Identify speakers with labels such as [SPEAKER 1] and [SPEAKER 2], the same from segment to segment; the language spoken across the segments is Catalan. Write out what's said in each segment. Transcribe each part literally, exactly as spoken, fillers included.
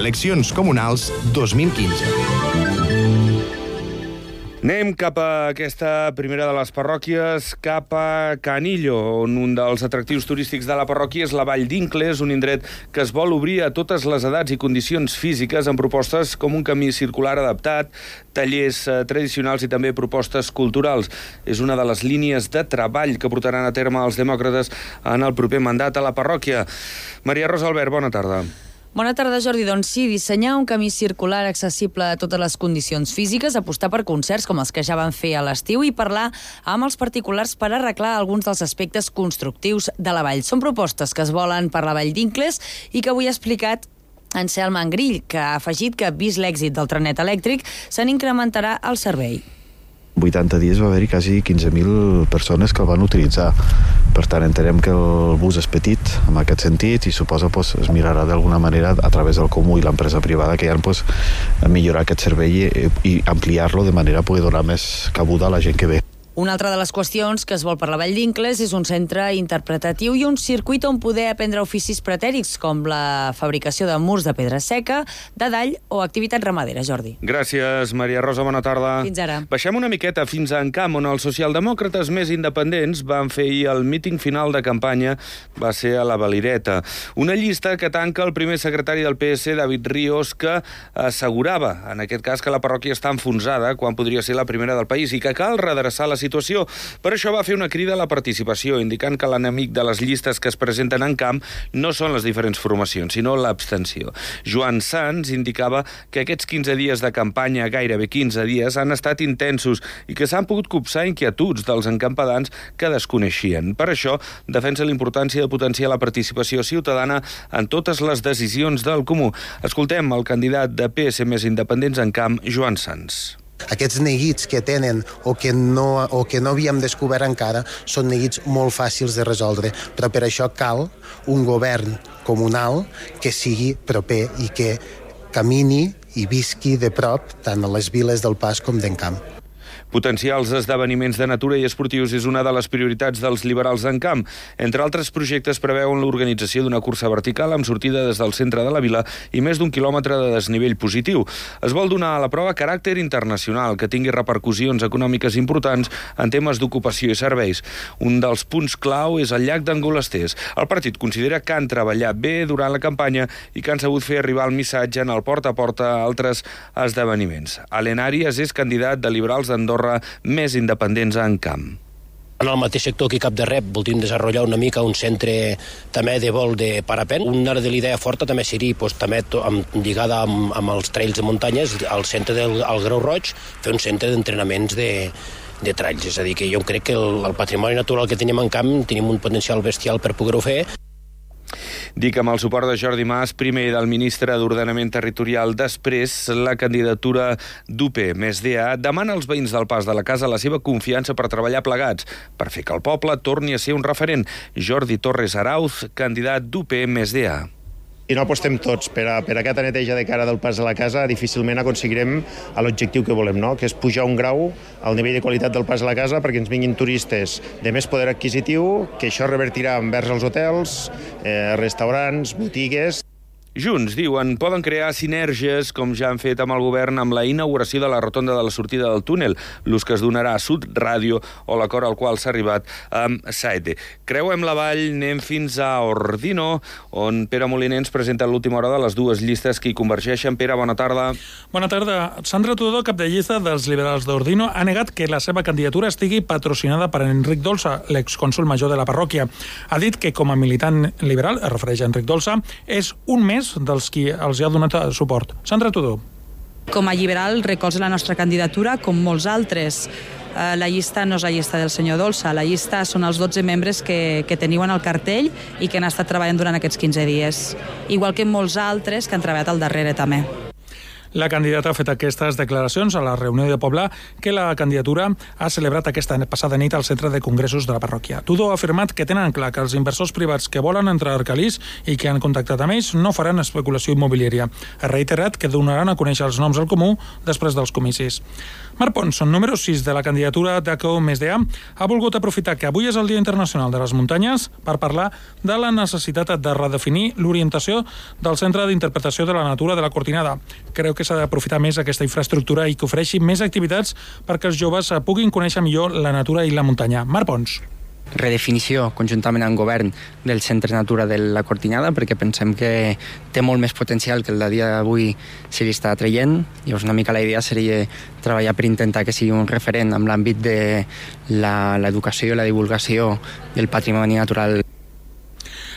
[SPEAKER 1] Eleccions comunals dos mil quinze.
[SPEAKER 2] Anem cap a aquesta primera de les parròquies, cap a Canillo, on un dels atractius turístics de la parròquia és la Vall d'Incles, un indret que es vol obrir a totes les edats i condicions físiques amb propostes com un camí circular adaptat, tallers eh, tradicionals i també propostes culturals. És una de les línies de treball que portaran a terme els demòcrates en el proper mandat a la parròquia. Maria Rosa Albert, bona tarda.
[SPEAKER 3] Bona tarda, Jordi. Doncs sí, dissenyar un camí circular accessible a totes les condicions físiques, apostar per concerts com els que ja van fer a l'estiu i parlar amb els particulars per arreglar alguns dels aspectes constructius de la vall. Són propostes que es volen per la Vall d'Incles i que avui ha explicat Anselm Angrill, que ha afegit que, vist l'èxit del trenet elèctric, se n'incrementarà el servei.
[SPEAKER 4] vuitanta dies va haver-hi quasi quinze mil persones que el van utilitzar. Per tant, entenem que el bus és petit en aquest sentit i suposa pues, es mirarà d'alguna manera a través del comú i l'empresa privada que hi ha pues, a millorar aquest servei i, i ampliar-lo de manera a poder donar més cabuda a la gent que ve.
[SPEAKER 3] Una altra de les qüestions que es vol per la Vall d'Incles és un centre interpretatiu i un circuit on poder aprendre oficis pretèrits com la fabricació de murs de pedra seca, de dall o activitat ramadera, Jordi.
[SPEAKER 2] Gràcies, Maria Rosa, bona tarda.
[SPEAKER 3] Fins ara.
[SPEAKER 2] Baixem una miqueta fins a Encamp, on els socialdemòcrates més independents van fer ahir el míting final de campanya, va ser a la Valireta. Una llista que tanca el primer secretari del P S, David Ríos, que assegurava, en aquest cas, que la parròquia està enfonsada quan podria ser la primera del país i que cal redreçar la situació. Per això va fer una crida a la participació, indicant que l'enemic de les llistes que es presenten en camp no són les diferents formacions, sinó l'abstenció. Joan Sans indicava que aquests quinze dies de campanya, gairebé quinze dies, han estat intensos i que s'han pogut copsar inquietuds dels encampadans que desconeixien. Per això, defensa la importància de potenciar la participació ciutadana en totes les decisions del comú. Escoltem el candidat de P S més independents en camp, Joan Sans.
[SPEAKER 5] Aquests neguits que tenen o que, no, o que no havíem descobert encara són neguits molt fàcils de resoldre, però per això cal un govern comunal que sigui proper i que camini i visqui de prop tant a les viles del Pas com d'Encamp.
[SPEAKER 2] Potenciar els esdeveniments de natura i esportius és una de les prioritats dels liberals d'Encamp. Entre altres projectes preveuen l'organització d'una cursa vertical amb sortida des del centre de la vila i més d'un quilòmetre de desnivell positiu. Es vol donar a la prova caràcter internacional que tingui repercussions econòmiques importants en temes d'ocupació i serveis. Un dels punts clau és el llac d'Angolasters. El partit considera que han treballat bé durant la campanya i que han sabut fer arribar el missatge en el porta a porta a altres esdeveniments. Alen Arias és candidat de liberals d'Andorra més independents a Encamp.
[SPEAKER 6] En el mateix sector que Cap de Rep voldríem desenvolupar una mica un centre també de vol de parapent. Una de l'idea forta també seria pues, també amb, lligada amb, amb els trails de muntanyes, al centre del al Grau Roig, fer un centre d'entrenaments de, de trails. És a dir, que jo crec que el, el patrimoni natural que tenim en camp tenim un potencial bestial per poder-ho fer.
[SPEAKER 2] Dic amb el suport de Jordi Mas, primer del ministre d'Ordenament Territorial, després la candidatura d'U P més D A, demana als veïns del Pas de la Casa la seva confiança per treballar plegats, per fer que el poble torni a ser un referent. Jordi Torres Arauz, candidat d'U P més D A.
[SPEAKER 7] Si no apostem tots per, a, per aquesta neteja de cara del Pas de la Casa, difícilment aconseguirem l'objectiu que volem, no? Que és pujar un grau al nivell de qualitat del Pas de la Casa perquè ens vinguin turistes de més poder adquisitiu, que això revertirà envers els hotels, eh, restaurants, botigues.
[SPEAKER 2] Junts, diuen, poden crear sinergies, com ja han fet amb el govern, amb la inauguració de la rotonda de la sortida del túnel, l'ús que es donarà a Sud Ràdio o l'acord al qual s'ha arribat amb Saete. Creuem la vall, anem fins a Ordino, on Pere Moliner ens presenta l'última hora de les dues llistes que hi convergeixen. Pere, bona tarda.
[SPEAKER 8] Bona tarda. Sandra Tudó, cap de llista dels liberals d'Ordino, ha negat que la seva candidatura estigui patrocinada per Enric Dolça, l'excònsol major de la parròquia. Ha dit que, com a militant liberal, es refereix a Enric Dolça, és un més dels qui els ha donat suport. Sandra Tudó.
[SPEAKER 9] Com a liberal recolza la nostra candidatura, com molts altres. La llista no és la llista del senyor Dolça, la llista són els dotze membres que, que teniu en el cartell i que han estat treballant durant aquests quinze dies, igual que molts altres que han treballat al darrere també.
[SPEAKER 8] La candidata ha fet aquestes declaracions a la reunió de poble que la candidatura ha celebrat aquesta passada nit al centre de congressos de la parròquia. Tudó ha afirmat que tenen clar que els inversors privats que volen entrar al Arcalís i que han contactat amb ells no faran especulació immobiliària. Ha reiterat que donaran a conèixer els noms al comú després dels comicis. Marc Pons, número sis de la candidatura d'A C O més D A, ha volgut aprofitar que avui és el Dia Internacional de les Muntanyes per parlar de la necessitat de redefinir l'orientació del Centre d'Interpretació de la Natura de la Cortinada. Creu que s'ha d'aprofitar més aquesta infraestructura i que ofereixi més activitats perquè els joves puguin conèixer millor la natura i la muntanya. Marc Pons.
[SPEAKER 10] Redefinició conjuntament amb el govern del Centre Natura de la Cortinada, perquè pensem que té molt més potencial que el de dia d'avui se li està traient. Llavors una mica la idea seria treballar per intentar que sigui un referent en l'àmbit de l'educació i la divulgació del patrimoni natural.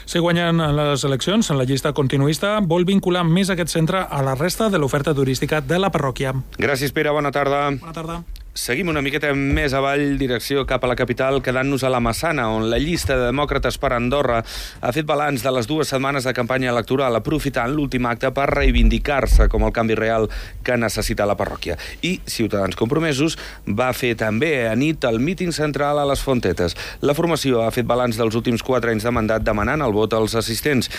[SPEAKER 8] Si guanyen les eleccions, en la llista continuista vol vincular més aquest centre a la resta de l'oferta turística de la parròquia.
[SPEAKER 2] Gràcies, Pere. Bona tarda.
[SPEAKER 8] Bona tarda.
[SPEAKER 2] Seguim una miqueta més avall, direcció cap a la capital, quedant-nos a la Massana, on la llista de demòcrates per Andorra ha fet balanç de les dues setmanes de campanya electoral, aprofitant l'últim acte per reivindicar-se com el canvi real que necessita la parròquia. I Ciutadans Compromesos va fer també a nit el míting central a les Fontetes. La formació ha fet balanç dels últims quatre anys de mandat demanant el vot als assistents.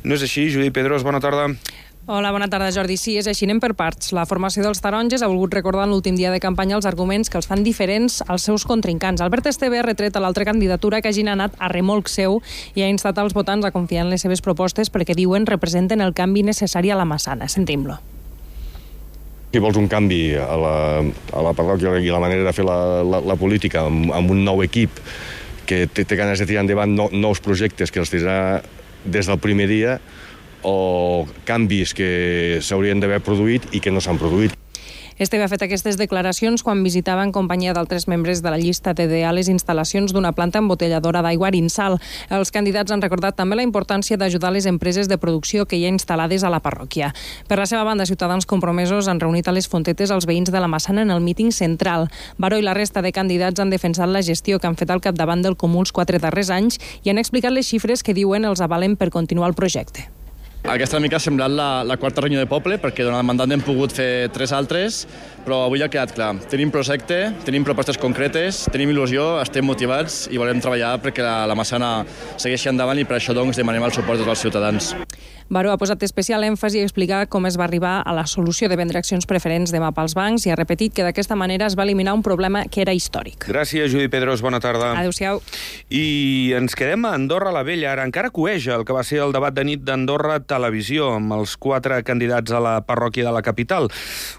[SPEAKER 2] No és així, Judit Pedros, bona tarda.
[SPEAKER 11] Hola, bona tarda, Jordi. Sí, és així, anem per parts. La formació dels taronges ha volgut recordar en l'últim dia de campanya els arguments que els fan diferents als seus contrincants. Albert Esteve ha retret a l'altra candidatura que hagin anat a remolc seu i ha instat als votants a confiar en les seves propostes perquè, diuen, representen el canvi necessari a la Massana. Sentim-lo.
[SPEAKER 12] Si vols un canvi a la, a la parròquia i la manera de fer la, la, la política amb, amb un nou equip que té, té ganes de tirar endavant no, nous projectes que els tirarà des del primer dia, o canvis que s'haurien d'haver produït i que no s'han produït.
[SPEAKER 11] Esteve ha fet aquestes declaracions quan visitava en companyia d'altres membres de la llista T D A les instal·lacions d'una planta embotelladora d'aigua Arinsal. Els candidats han recordat també la importància d'ajudar les empreses de producció que hi ha instal·lades a la parròquia. Per la seva banda, Ciutadans Compromesos han reunit a les Fontetes els veïns de la Massana en el míting central. Baró i la resta de candidats han defensat la gestió que han fet al capdavant del Comú els quatre darrers anys i han explicat les xifres que diuen els avalen per continuar el projecte.
[SPEAKER 13] Aquesta mica ha semblat la, la quarta reunió de poble, perquè durant el mandat n'hem pogut fer tres altres, però avui ha quedat clar. Tenim projecte, tenim propostes concretes, tenim il·lusió, estem motivats i volem treballar perquè la, la Massana segueixi endavant i per això doncs demanem el suport dels ciutadans.
[SPEAKER 11] Baró ha posat especial èmfasi a explicar com es va arribar a la solució de vendre accions preferents demà pels bancs i ha repetit que d'aquesta manera es va eliminar un problema que era històric.
[SPEAKER 2] Gràcies, Judit Pedros. Bona tarda.
[SPEAKER 11] Adéu-siau.
[SPEAKER 2] I ens quedem a Andorra la Vella. Ara encara coeja el que va ser el debat de nit d'Andorra Televisió amb els quatre candidats a la parròquia de la capital.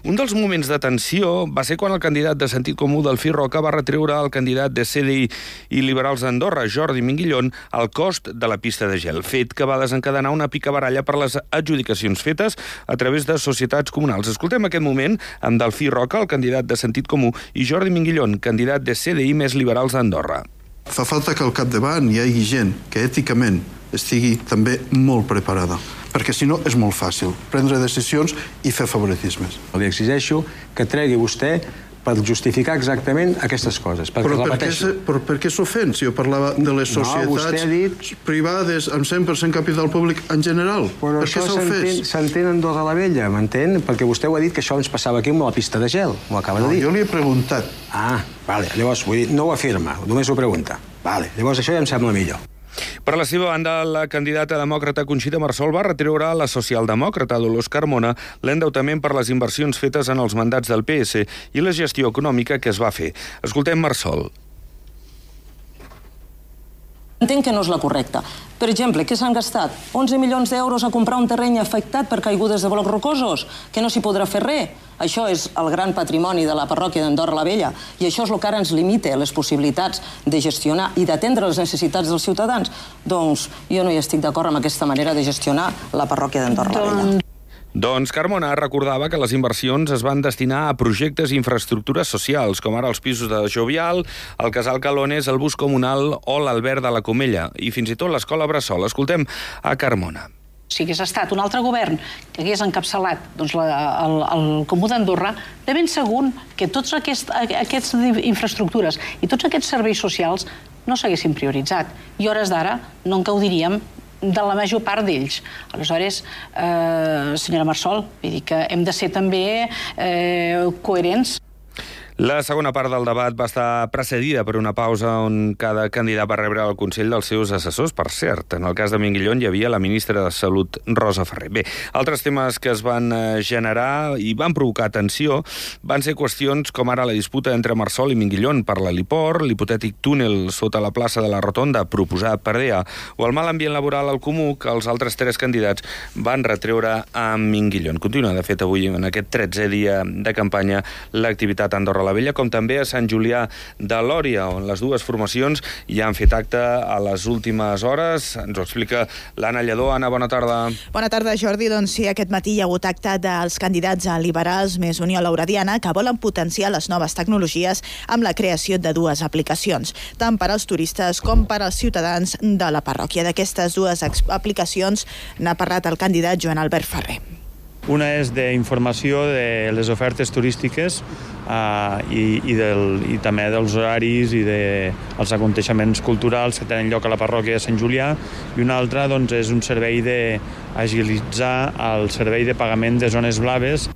[SPEAKER 2] Un dels moments de tensió va ser quan el candidat de Sentit Comú del Fi Roca va retreure al candidat de C D I i Liberals d'Andorra, Jordi Minguillón, el cost de la pista de gel, fet que va desencadenar una picabaralla per les adjudicacions fetes a través de societats comunals. Escoltem aquest moment amb Delfí Roca, el candidat de Sentit Comú, i Jordi Minguillón, candidat de C D I més Liberals d'Andorra.
[SPEAKER 14] Fa falta que al capdavant hi hagi gent que èticament estigui també molt preparada, perquè si no és molt fàcil prendre decisions i fer favoritismes.
[SPEAKER 15] Li exigeixo que tregui vostè per justificar exactament aquestes coses.
[SPEAKER 14] Però per què, però per què s'ofèn si jo parlava de les societats no, dit... privades amb cent per cent capital públic en general?
[SPEAKER 15] Però
[SPEAKER 14] per
[SPEAKER 15] això s'entén en Andorra la Vella, m'entén? Perquè vostè ho ha dit que això ens passava aquí amb la pista de gel. Ho acaba
[SPEAKER 14] no,
[SPEAKER 15] de dir.
[SPEAKER 14] Jo li he preguntat.
[SPEAKER 15] Ah, vale. Llavors, vull dir, no ho afirma, només ho pregunta. Vale. Llavors això ja em sembla millor.
[SPEAKER 2] Per la seva banda, la candidata demòcrata Conxita Marsol va retreure a la socialdemòcrata Dolors Carmona l'endeutament per les inversions fetes en els mandats del P S i la gestió econòmica que es va fer. Escoltem Marsol.
[SPEAKER 16] Entenc que no és la correcta. Per exemple, què s'han gastat? onze milions d'euros a comprar un terreny afectat per caigudes de blocs rocosos, que no s'hi podrà fer res. Això és el gran patrimoni de la parròquia d'Andorra la Vella i això és el que ara ens limita les possibilitats de gestionar i d'atendre les necessitats dels ciutadans. Doncs jo no hi estic d'acord amb aquesta manera de gestionar la parròquia d'Andorra la Vella.
[SPEAKER 2] Doncs Carmona recordava que les inversions es van destinar a projectes i infraestructures socials, com ara els pisos de Jovial, el Casal Calones, el bus comunal o l'Albert de la Comella, i fins i tot l'escola Bressol. Escoltem a Carmona.
[SPEAKER 17] Si hagués estat un altre govern que hagués encapçalat doncs, la, el, el Comú d'Andorra, de ben segur que tots aquest, aquestes infraestructures i tots aquests serveis socials no s'haguessin prioritzat. I hores d'ara no en gaudiríem de la major part d'ells. Aleshores, eh, senyora Marsol, vull dir que hem de ser també eh, coherents.
[SPEAKER 2] La segona part del debat va estar precedida per una pausa on cada candidat va rebre el consell dels seus assessors. Per cert, en el cas de Minguillón hi havia la ministra de Salut, Rosa Ferrer. Bé, altres temes que es van generar i van provocar tensió van ser qüestions com ara la disputa entre Marsol i Minguillón per l'heliport, l'hipotètic túnel sota la plaça de la Rotonda proposat per D E A o el mal ambient laboral al Comú que els altres tres candidats van retreure a Minguillón. Continua, de fet, avui en aquest tretzè dia de campanya l'activitat a Andorra la Vella, com també a Sant Julià de Lòria, on les dues formacions ja han fet acte a les últimes hores. Ens ho explica l'Anna Lledó. Anna, bona tarda.
[SPEAKER 18] Bona tarda, Jordi. Doncs sí, aquest matí hi ha hagut acte dels candidats a Liberals més Unió Laurediana que volen potenciar les noves tecnologies amb la creació de dues aplicacions, tant per als turistes com per als ciutadans de la parròquia. D'aquestes dues aplicacions n'ha parlat el candidat Joan Albert Ferrer.
[SPEAKER 19] Una és d'informació de les ofertes turístiques uh, i, i, del, i també dels horaris i dels aconteixements culturals que tenen lloc a la parròquia de Sant Julià, i una altra doncs, és un servei d'agilitzar el servei de pagament de zones blaves.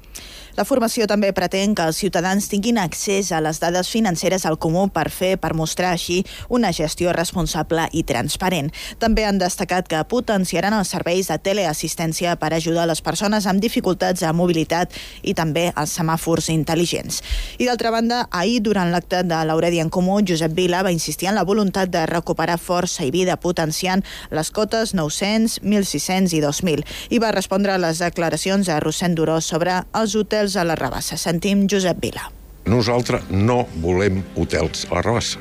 [SPEAKER 18] La formació també pretén que els ciutadans tinguin accés a les dades financeres al Comú per fer, per mostrar així una gestió responsable i transparent. També han destacat que potenciaran els serveis de teleassistència per ajudar les persones amb dificultats de mobilitat i també els semàfors intel·ligents. I d'altra banda, ahir, durant l'acte de l'Auredi en Comú, Josep Vila va insistir en la voluntat de recuperar força i vida potenciant les cotes nou-cents, mil sis-cents i dos mil. I va respondre a les declaracions de Rossend Duró sobre els hotels a la Rabassa. Sentim Josep Vila.
[SPEAKER 20] Nosaltres no volem hotels a la Rabassa.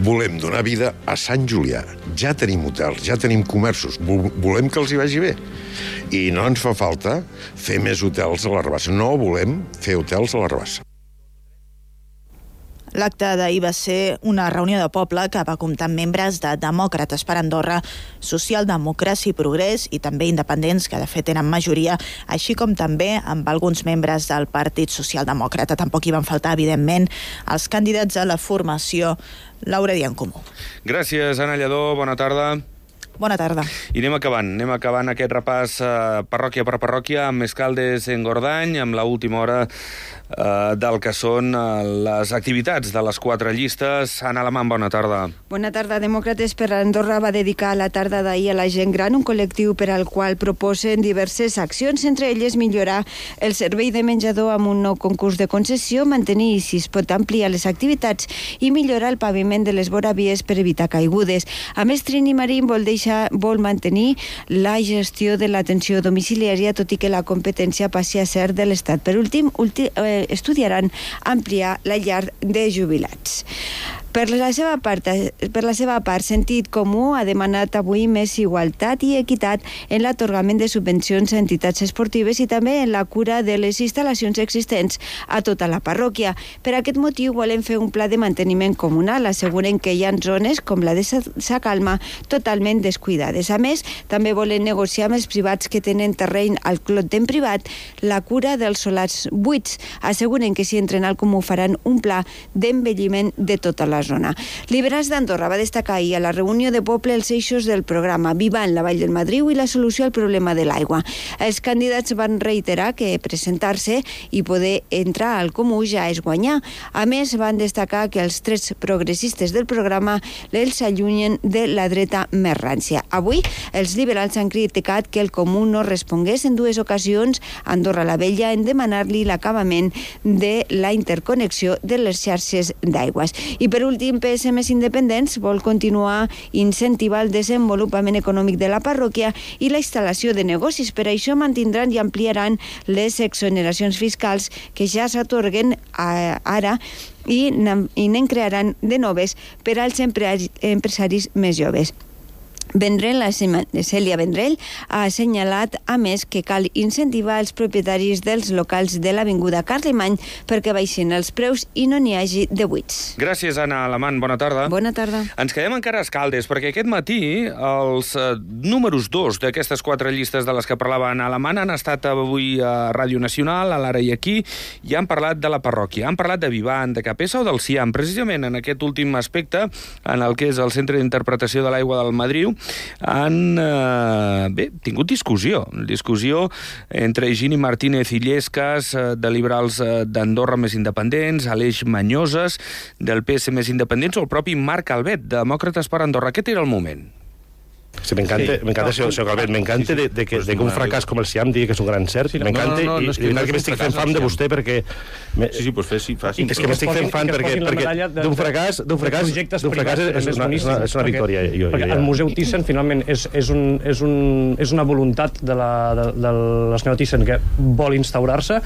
[SPEAKER 20] Volem donar vida a Sant Julià. Ja tenim hotels, ja tenim comerços. Volem que els hi vagi bé. I no ens fa falta fer més hotels a la Rabassa. No volem fer hotels a la Rabassa.
[SPEAKER 18] L'acte d'ahir va ser una reunió de poble que va comptar amb membres de Demòcrates per Andorra, Socialdemocràcia i Progrés i també independents, que de fet eren majoria, així com també amb alguns membres del Partit Socialdemòcrata. Tampoc hi van faltar, evidentment, els candidats a la formació Lauredi en Comú.
[SPEAKER 2] Gràcies, Anna Lledó. Bona tarda.
[SPEAKER 18] Bona tarda.
[SPEAKER 2] I anem acabant. Anem acabant aquest repàs eh, parròquia per parròquia amb Escaldes en Gordany, amb l'última hora eh, del que són eh, les activitats de les quatre llistes. Anna Alamán, bona tarda.
[SPEAKER 21] Bona tarda. Demòcrates per Andorra va dedicar la tarda d'ahir a la gent gran, un col·lectiu per al qual proposen diverses accions, entre elles millorar el servei de menjador amb un nou concurs de concessió, mantenir, si es pot, ampliar les activitats i millorar el paviment de les voravies per evitar caigudes. A més, Trini Marín vol deixar vol mantenir la gestió de l'atenció domiciliària, tot i que la competència passi a ser de l'Estat. Per últim, ulti, eh, estudiaran ampliar la llar de jubilats. Per la seva part, per la seva part, Sentit Comú ha demanat avui més igualtat i equitat en l'atorgament de subvencions a entitats esportives i també en la cura de les instal·lacions existents a tota la parròquia. Per aquest motiu volen fer un pla de manteniment comunal. Asseguren que hi ha zones, com la de Sa Calma, totalment descuidades. A més, també volen negociar amb els privats que tenen terreny al clot en privat la cura dels solars buits. Asseguren que si entren al Comú faran un pla d'envelliment de tota la zona. Liberals d'Andorra va destacar ahir a la reunió de poble els eixos del programa Vivant la Vall del Madriu i la solució al problema de l'aigua. Els candidats van reiterar que presentar-se i poder entrar al Comú ja és guanyar. A més, van destacar que els trets progressistes del programa els allunyen de la dreta més rància. Avui, els liberals han criticat que el Comú no respongués en dues ocasions a Andorra la Vella en demanar-li l'acabament de la interconnexió de les xarxes d'aigües. I per últim, P S Més Independents vol continuar incentivar el desenvolupament econòmic de la parròquia i la instal·lació de negocis. Per això mantindran i ampliaran les exoneracions fiscals que ja s'atorguen ara i n'en crearan de noves per als empresaris més joves. Vendrell, la Cèlia Vendrell, ha assenyalat, a més, que cal incentivar els propietaris dels locals de l'Avinguda Carlemany perquè baixin els preus i no n'hi hagi de buits.
[SPEAKER 2] Gràcies, Anna Alamán. Bona tarda.
[SPEAKER 21] Bona tarda.
[SPEAKER 2] Ens quedem encara a Escaldes, perquè aquest matí els eh, números dos d'aquestes quatre llistes de les que parlava Anna Alamán han estat avui a Ràdio Nacional, a l'Ara i aquí, i han parlat de la parròquia. Han parlat de Vivant, de Capessa o del Ciam, precisament en aquest últim aspecte, en el que és el Centre d'Interpretació de l'Aigua del Madriu. han eh, bé, tingut discussió. Discussió entre Higini Martínez i Illescas, eh, de Liberals eh, d'Andorra més independents, Aleix Manyoses, del P S més independents, o el propi Marc Albet, de Demòcrates per Andorra. Aquest era el moment.
[SPEAKER 1] Sí, me encanta, sí. me encanta, señor, señor Calvet, me encanta sí, sí. de, de, que, pues de que un fracàs com el Siam digui que és un gran cert, sí, me encanta, no, no, no, no, i, i no, que m'estic fent fam de vostè perquè... Me... Sí, sí, pues fes, sí, faci. És que m'estic fent fam perquè, perquè d'un fracàs, d'un fracàs, d'un fracàs és una, és una, és una victòria. Jo, jo,
[SPEAKER 22] perquè el Museu Thyssen, finalment, és, és, un, és, un, és una voluntat de la, de, de la senyora Thyssen que vol instaurar-se.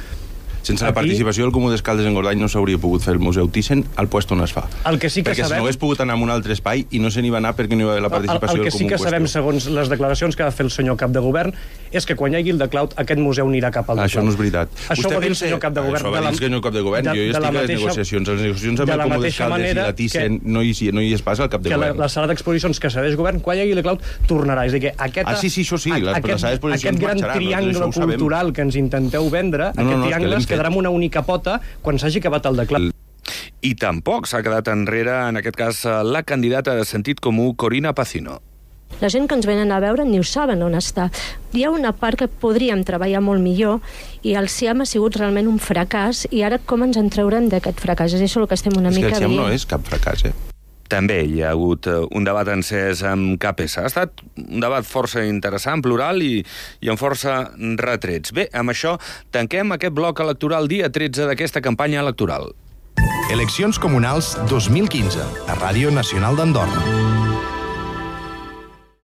[SPEAKER 23] Sense la participació del Comú d'Escaldes en Gordany no s'hauria pogut fer el Museu Thyssen al lloc on es fa.
[SPEAKER 22] El que sí que
[SPEAKER 23] perquè
[SPEAKER 22] sabem...
[SPEAKER 23] si no hagués pogut anar a un altre espai i no se n'hi va anar perquè no hi va haver la participació
[SPEAKER 22] el, el
[SPEAKER 23] del Comú.
[SPEAKER 22] El que sí que sabem, segons les declaracions que va fer el senyor cap de govern, és que quan hi hagi el de Cloud, aquest museu anirà cap al de Cloud.
[SPEAKER 23] Això no és veritat.
[SPEAKER 22] Això ho va dir el senyor cap de govern.
[SPEAKER 23] Això va dir el senyor cap de govern. Jo hi estic a les negociacions. Les negociacions amb el Comú d'Escaldes i la Thyssen no hi es passa al cap de govern.
[SPEAKER 22] Que la sala d'exposicions que cedeix govern, quan hi hagi el de Cloud, tornarà. És a dir, que aquest...
[SPEAKER 23] Ah, sí, sí, això sí.
[SPEAKER 22] Aquest gran triangle cultural que ens intenteu vendre, aquest triangle es quedarà amb una única pota quan s'hagi acabat el declar.
[SPEAKER 2] I tampoc s'ha quedat enrere, en aquest cas, la candidata de sentit comú, Corina Pacino.
[SPEAKER 24] La gent que ens venen a veure ni ho saben on està. Hi ha una part que podríem treballar molt millor i el Siam ha sigut realment un fracàs i ara com ens en traurem d'aquest fracàs? És això el que estem una
[SPEAKER 23] és
[SPEAKER 22] mica
[SPEAKER 23] que el Siam
[SPEAKER 22] dient.
[SPEAKER 23] no és cap fracàs, eh?
[SPEAKER 2] També hi ha hagut un debat encès amb K P S. Ha estat un debat força interessant, plural i, i amb força retrets. Bé, amb això tanquem aquest bloc electoral dia tretze d'aquesta campanya electoral.
[SPEAKER 25] Eleccions comunals dos mil quinze, a Ràdio Nacional d'Andorra.